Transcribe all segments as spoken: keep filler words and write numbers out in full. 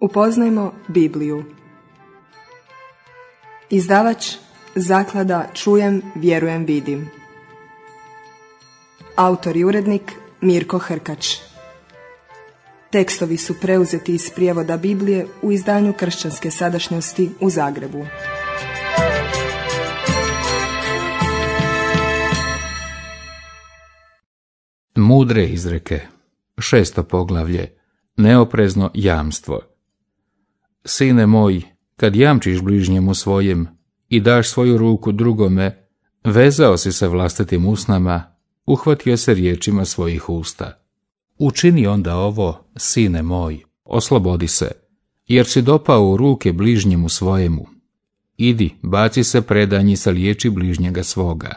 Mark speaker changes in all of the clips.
Speaker 1: Upoznajmo Bibliju. Izdavač Zaklada Čujem, vjerujem, vidim. Autor i urednik Mirko Hrkač. Tekstovi su preuzeti iz prijevoda Biblije u izdanju Kršćanske sadašnjosti u Zagrebu.
Speaker 2: Mudre izreke. Šesto poglavlje. Neoprezno jamstvo. Sine moj, kad jamčiš bližnjemu svojem i daš svoju ruku drugome, vezao si se vlastitim usnama, uhvatio se riječima svojih usta. Učini onda ovo, sine moj, oslobodi se, jer si dopao u ruke bližnjemu svojemu. Idi, baci se predanji sa liječi bližnjega svoga.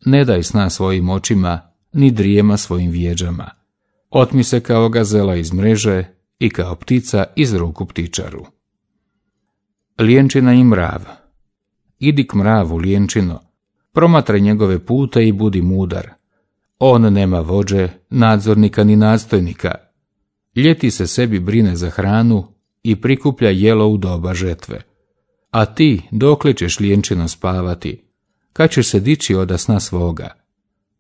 Speaker 2: Ne daj sna svojim očima, ni drijema svojim vjeđama. Otmi se kao gazela iz mreže i kao ptica iz ruku ptičaru. Lijenčina i mrav. Idi k mravu, lijenčino, promatraj njegove pute i budi mudar. On nema vođe, nadzornika ni nadstojnika. Ljeti se sebi brine za hranu i prikuplja jelo u doba žetve. A ti, dokle ćeš, lijenčino, spavati? Kad ćeš se dići oda sna svoga?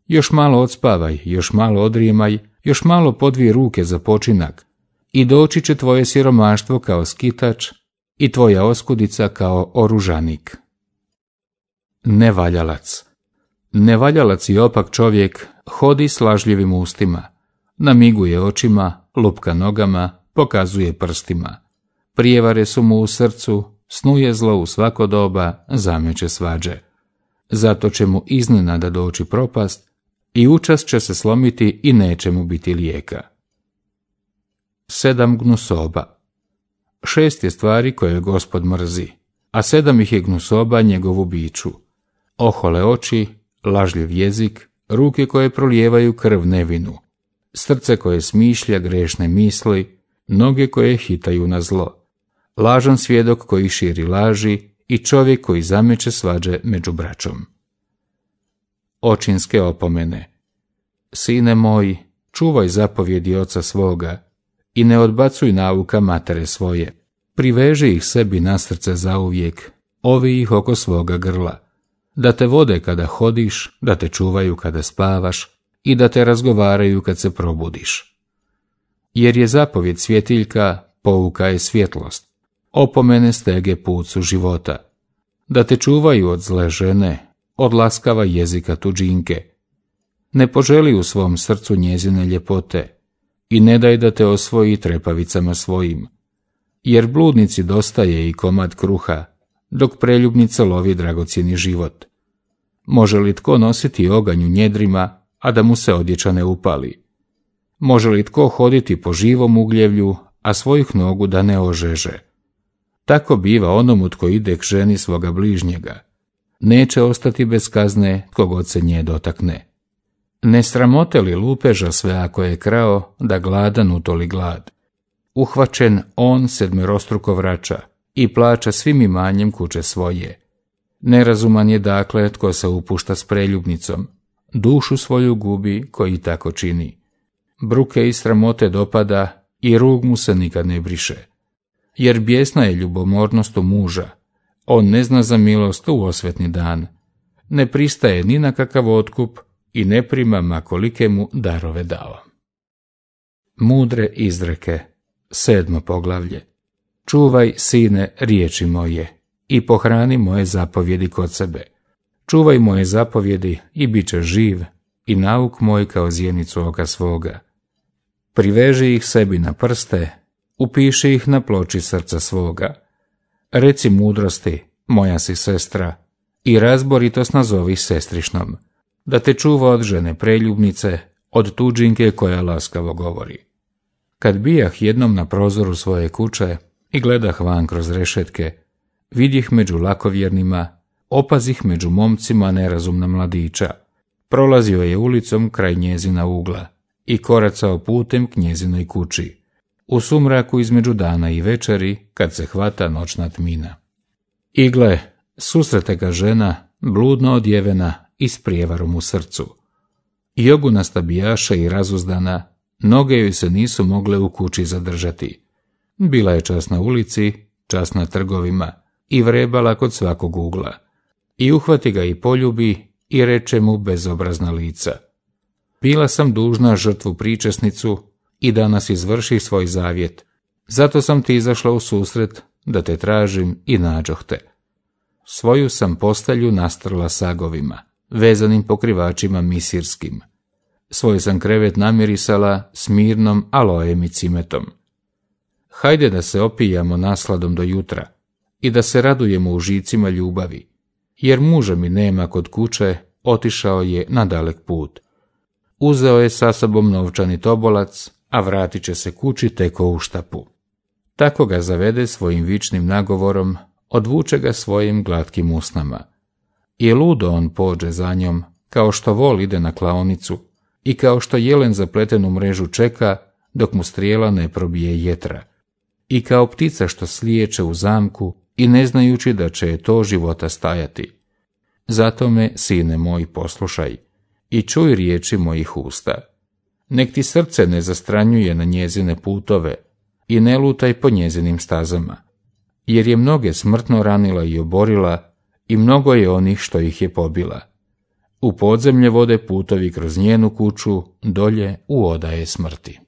Speaker 2: Još malo odspavaj, još malo odrijemaj, još malo podvij ruke za počinak, i doći će tvoje siromaštvo kao skitač i tvoja oskudica kao oružanik. Nevaljalac. Nevaljalac i opak čovjek hodi s lažljivim ustima, namiguje očima, lupka nogama, pokazuje prstima. Prijevare su mu u srcu, snuje zlo u svako doba, zameće svađe. Zato će mu iznenada doći propast i učas će se slomiti i neće mu biti lijeka. Sedam gnusoba. Šest je stvari koje Gospod mrzi, a sedam ih je gnusoba njegovu biću. Ohole oči, lažljiv jezik, ruke koje prolijevaju krv nevinu, srce koje smišlja grešne misli, noge koje hitaju na zlo, lažan svjedok koji širi laži i čovjek koji zameće svađe među braćom. Očinske opomene. Sine moj, čuvaj zapovjedi oca svoga i ne odbacuj nauka matere svoje. Priveži ih sebi na srce zauvijek, ovi ih oko svoga grla, da te vode kada hodiš, da te čuvaju kada spavaš i da te razgovaraju kad se probudiš. Jer je zapovjed svjetiljka, pouka je svjetlost, opomene stege pucu života, da te čuvaju od zle žene, od laskava jezika tuđinke. Ne poželi u svom srcu njezine ljepote i ne daj da te osvoji trepavicama svojim, jer bludnici dostaje i komad kruha, dok preljubnica lovi dragocjeni život. Može li tko nositi oganj u njedrima, a da mu se odjeća ne upali? Može li tko hoditi po živom ugljevlju, a svojih nogu da ne ožeže? Tako biva onomu tko ide k ženi svoga bližnjega. Neće ostati bez kazne tko god se nje dotakne. Ne sramote li lupeža sve ako je krao, da gladan utoli glad? Uhvaćen on sedmerostruko vraća i plaća svim imanjem kuće svoje. Nerazuman je dakle tko se upušta s preljubnicom, dušu svoju gubi koji tako čini. Bruke i sramote dopada i rug mu se nikad ne briše. Jer bijesna je ljubomornost u muža, on ne zna za milost u osvetni dan, ne pristaje ni na kakav otkup i ne prima ma kolike mu darove dao. Mudre izreke. Sedmo poglavlje. Čuvaj, sine, riječi moje i pohrani moje zapovjedi kod sebe. Čuvaj moje zapovjedi i bit će živ i nauk moj kao zjenicu oka svoga. Priveži ih sebi na prste, upiši ih na ploči srca svoga. Reci mudrosti, moja si sestra, i razboritost nazovi sestrišnom, da te čuva od žene preljubnice, od tuđinke koja laskavo govori. Kad bijah jednom na prozoru svoje kuće i gledah van kroz rešetke, vidjeh među lakovjernima, opazih među momcima nerazumna mladića. Prolazio je ulicom kraj njezina ugla i koracao putem k njezinoj kući, u sumraku između dana i večeri, kad se hvata noćna tmina. I gle, susrete ga žena, bludno odjevena i s prijevarom u srcu. Jogunasta bijaša i razuzdana, noge joj se nisu mogle u kući zadržati. Bila je čas na ulici, čas na trgovima i vrebala kod svakog ugla. I uhvati ga i poljubi i reče mu bezobrazna lica. Bila sam dužna žrtvu pričesnicu i danas izvrši svoj zavjet. Zato sam ti izašla u susret da te tražim i nađoh te. Svoju sam postelju nastrla sagovima, vezanim pokrivačima misirskim. Svoj sam krevet namirisala smirnom alojem i cimetom. Hajde da se opijamo nasladom do jutra i da se radujemo užicima ljubavi, jer muža mi nema kod kuće, otišao je na dalek put. Uzeo je sa sobom novčani tobolac, a vratit će se kući teko u štapu. Tako ga zavede svojim vičnim nagovorom, odvuče ga svojim glatkim usnama. I ludo on pođe za njom, kao što vol ide na klaonicu i kao što jelen zapletenu mrežu čeka dok mu strijela ne probije jetra. I kao ptica što slijeće u zamku i ne znajući da će je to života stajati. Zato me, sine moj, poslušaj i čuj riječi mojih usta. Nek ti srce ne zastranjuje na njezine putove i ne lutaj po njezinim stazama, jer je mnoge smrtno ranila i oborila i mnogo je onih što ih je pobila. U podzemlje vode putovi kroz njenu kuću, dolje u odaje smrti.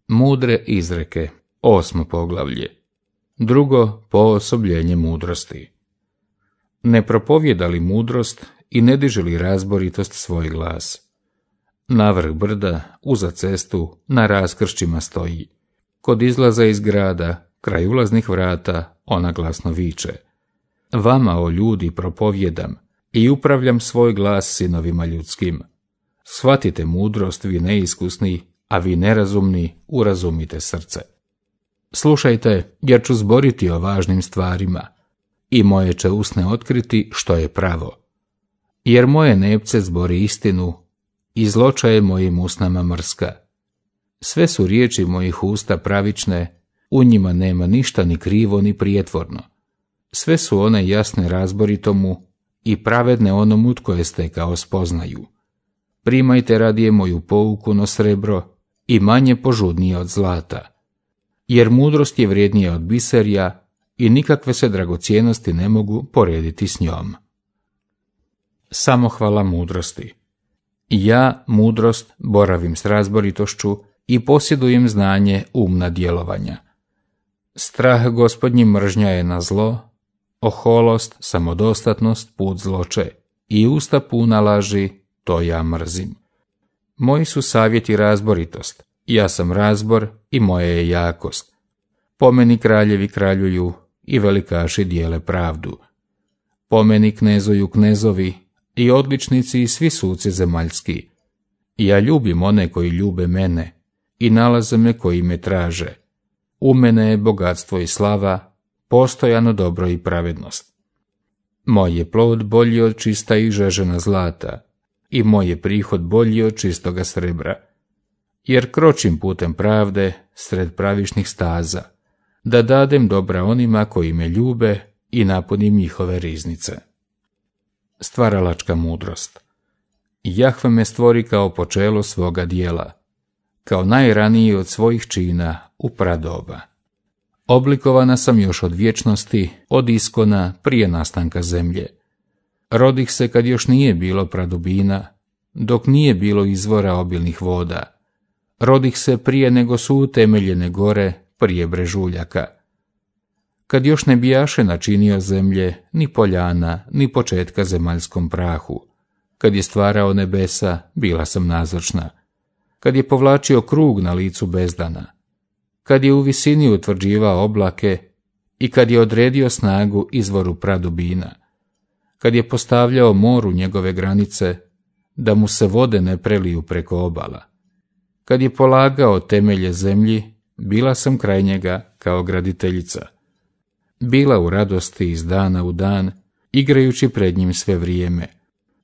Speaker 2: Mudre izreke, osmo poglavlje. Drugo, poosobljenje mudrosti. Ne propovjeda li mudrost i ne diže li razboritost svoj glas? Navrh brda, uza cestu, na raskršćima stoji. Kod izlaza iz grada, kraj ulaznih vrata, ona glasno viče. Vama, o ljudi, propovjedam i upravljam svoj glas sinovima ljudskim. Shvatite mudrost, vi neiskusni, a vi nerazumni, urazumite srce. Slušajte, jer ću zboriti o važnim stvarima i moje će usne otkriti što je pravo. Jer moje nepce zbori istinu i zloča je mojim usnama mrska. Sve su riječi mojih usta pravične, u njima nema ništa ni krivo ni prijetvorno. Sve su one jasne razboritomu i pravedne onomu tko je stekao spoznaju. Primajte radije moju pouku no srebro i manje požudnije od zlata. Jer mudrost je vrijednija od biserja i nikakve se dragocjenosti ne mogu porediti s njom. Samohvala mudrosti. Ja, mudrost, boravim s razboritošću i posjedujem znanje umna djelovanja. Strah gospodnji mržnja je na zlo, oholost, samodostatnost, put zloče i usta puna laži, to ja mrzim. Moji su savjeti razboritost, ja sam razbor i moja je jakost. Po meni kraljevi kraljuju i velikaši dijele pravdu. Po meni knezuju knezovi i odličnici i svi suci zemaljski. Ja ljubim one koji ljube mene i nalaze me koji me traže. U mene je bogatstvo i slava, postojano dobro i pravednost. Moj je plod bolji od čista i žežena zlata i moj je prihod bolji od čistoga srebra. Jer kročim putem pravde sred pravičnih staza, da dadem dobra onima koji me ljube i napunim njihove riznice. Stvaralačka mudrost. Jahve me stvori kao počelo svoga dijela, kao najraniji od svojih čina u pradoba. Oblikovana sam još od vječnosti, od iskona prije nastanka zemlje. Rodih se kad još nije bilo pradubina, dok nije bilo izvora obilnih voda. Rodih se prije nego su utemeljene gore, prije brežuljaka. Kad još ne bijaše načinio zemlje, ni poljana, ni početka zemaljskom prahu. Kad je stvarao nebesa, bila sam nazočna. Kad je povlačio krug na licu bezdana. Kad je u visini utvrđivao oblake i kad je odredio snagu izvoru pradubina. Kad je postavljao moru njegove granice, da mu se vode ne preliju preko obala. Kad je polagao temelje zemlji, bila sam kraj njega kao graditeljica. Bila u radosti iz dana u dan, igrajući pred njim sve vrijeme.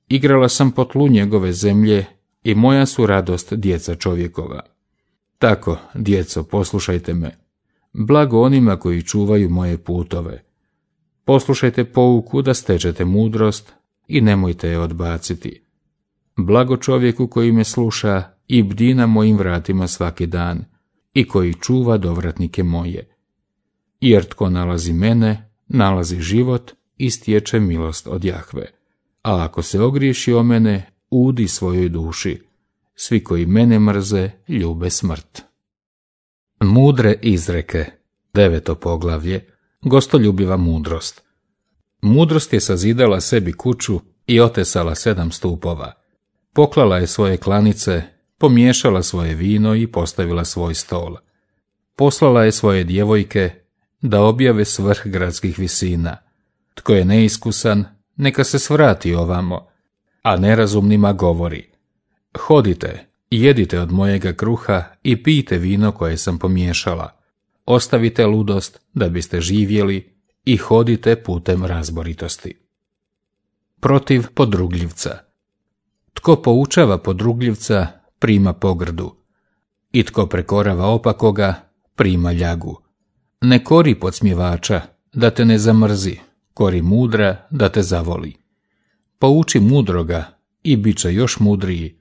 Speaker 2: Igrala sam po tlu njegove zemlje i moja su radost djeca čovjekova. Tako, djeco, poslušajte me. Blago onima koji čuvaju moje putove. Poslušajte pouku da stečete mudrost i nemojte je odbaciti. Blago čovjeku koji me sluša i bdi na mojim vratima svaki dan i koji čuva dovratnike moje. jer tko nalazi mene, nalazi život i stječe milost od Jahve. A ako se ogriješi o mene, udi svojoj duši. Svi koji mene mrze, ljube smrt. Mudre izreke, deveto poglavlje, gostoljubiva mudrost. Mudrost je sazidala sebi kuću i otesala sedam stupova. Poklala je svoje klanice, pomiješala svoje vino i postavila svoj stol. Poslala je svoje djevojke da objave svrh gradskih visina. Tko je neiskusan, neka se svrati ovamo, a nerazumnima govori: hodite, jedite od mojega kruha i pijte vino koje sam pomiješala. Ostavite ludost da biste živjeli i hodite putem razboritosti. Protiv podrugljivca. Tko poučava podrugljivca, prima pogrdu, i tko prekorava opakoga, prima ljagu. Ne kori podsmjevača, da te ne zamrzi, kori mudra, da te zavoli. Pouči mudroga i bit će još mudriji,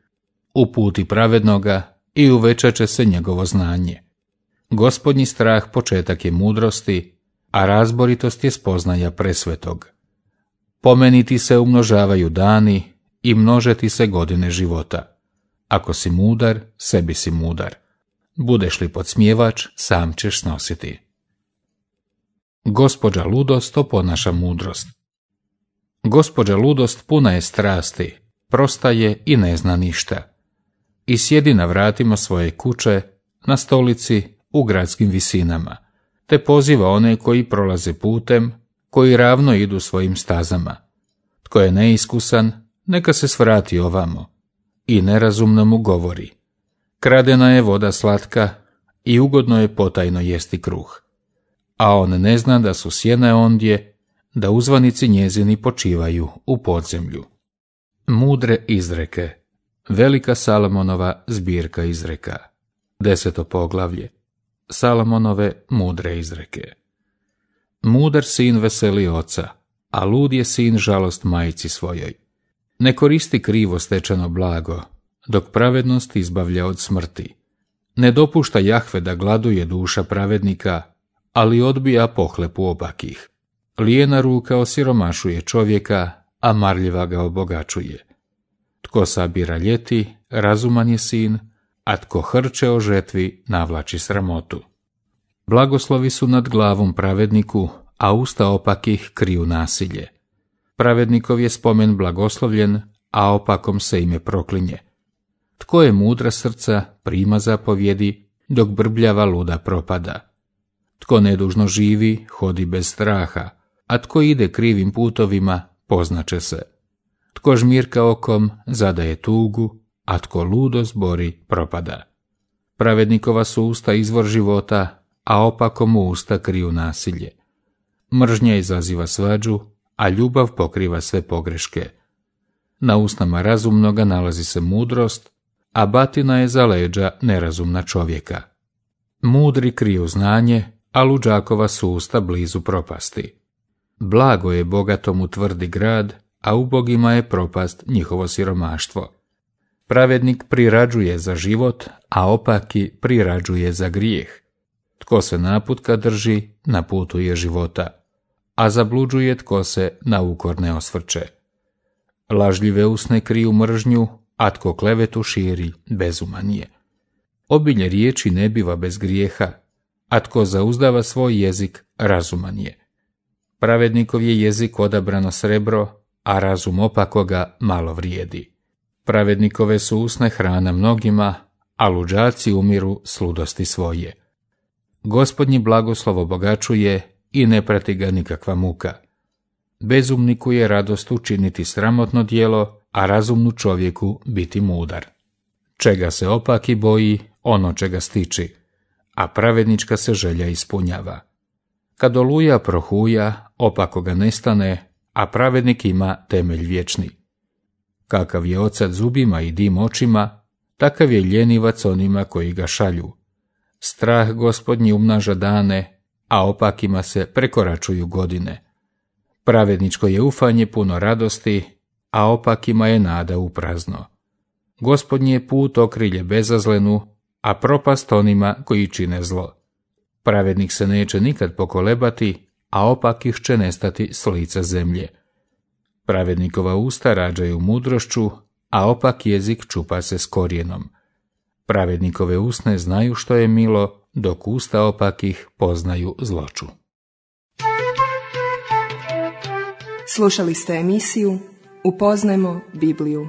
Speaker 2: uputi pravednoga i uvećat će se njegovo znanje. Gospodnji strah početak je mudrosti, a razboritost je spoznaja presvetog. Pomeniti se umnožavaju dani i množeti se godine života. Ako si mudar, sebi si mudar. Budeš li podsmjevač, sam ćeš snositi. Gospođa ludost oponaša mudrost. Gospođa ludost puna je strasti, prosta je i ne zna ništa. I sjedi na vratima svoje kuće, na stolici, u gradskim visinama, te poziva one koji prolaze putem, koji ravno idu svojim stazama. Tko je neiskusan, neka se svrati ovamo, i nerazumno mu govori: kradena je voda slatka i ugodno je potajno jesti kruh. A on ne zna da su sjene ondje, da uzvanici njezini počivaju u podzemlju. Mudre izreke, velika Salomonova zbirka izreka, deseto poglavlje, Salomonove mudre izreke. Mudar sin veseli oca, a lud je sin žalost majci svojoj. Ne koristi krivo stečeno blago, dok pravednost izbavlja od smrti. Ne dopušta Jahve da gladuje duša pravednika, ali odbija pohlepu opakih. Lijena ruka osiromašuje čovjeka, a marljiva ga obogačuje. Tko sabira ljeti, razuman je sin, a tko hrče o žetvi, navlači sramotu. Blagoslovi su nad glavom pravedniku, a usta opakih kriju nasilje. Pravednikov je spomen blagoslovljen, a opakom se ime proklinje. Tko je mudra srca, prima zapovjedi, dok brbljava luda propada. Tko nedužno živi, hodi bez straha, a tko ide krivim putovima, poznaće se. Tko žmirka okom, zadaje tugu, a tko ludo zbori, propada. Pravednikova su usta izvor života, a opakom u usta kriju nasilje. Mržnja izaziva svađu, a ljubav pokriva sve pogreške. Na usnama razumnoga nalazi se mudrost, a batina je za leđa nerazumna čovjeka. Mudri kriju znanje, a luđakova su usta blizu propasti. Blago je bogatom u tvrdi grad, a ubogima je propast njihovo siromaštvo. Pravednik prirađuje za život, a opaki prirađuje za grijeh. Tko se naputka drži, na putu je života, a zabluđuje tko se na ukor ne osvrće. Lažljive usne kriju mržnju, a tko klevetu širi, bezuman je. Obilje riječi ne biva bez grijeha, a tko zauzdava svoj jezik, razuman je. Pravednikov je jezik odabrano srebro, a razum opakoga malo vrijedi. Pravednikove su usne hrana mnogima, a luđaci umiru s ludosti svoje. Gospodnji blagoslov obogačuje i ne prati ga nikakva muka. Bezumniku je radost učiniti sramotno djelo, a razumnu čovjeku biti mudar. Čega se opaki boji, ono čega stiči, a pravednička se želja ispunjava. Kad oluja prohuja, opako ga nestane, a pravednik ima temelj vječni. Kakav je ocat zubima i dim očima, takav je ljenivac onima koji ga šalju. Strah Gospodnji umnaža dane, a opakima se prekoračuju godine. Pravedničko je ufanje puno radosti, a opakima je nada u prazno. Gospodnji je put okrilje bezazlenu, a propast onima koji čine zlo. Pravednik se neće nikad pokolebati, a opakih će nestati s lica zemlje. Pravednikova usta rađaju mudrošću, a opak jezik čupa se s korijenom. Pravednikove usne znaju što je milo, dok usta opakih poznaju zloču.
Speaker 1: Slušali ste emisiju Upoznajmo Bibliju.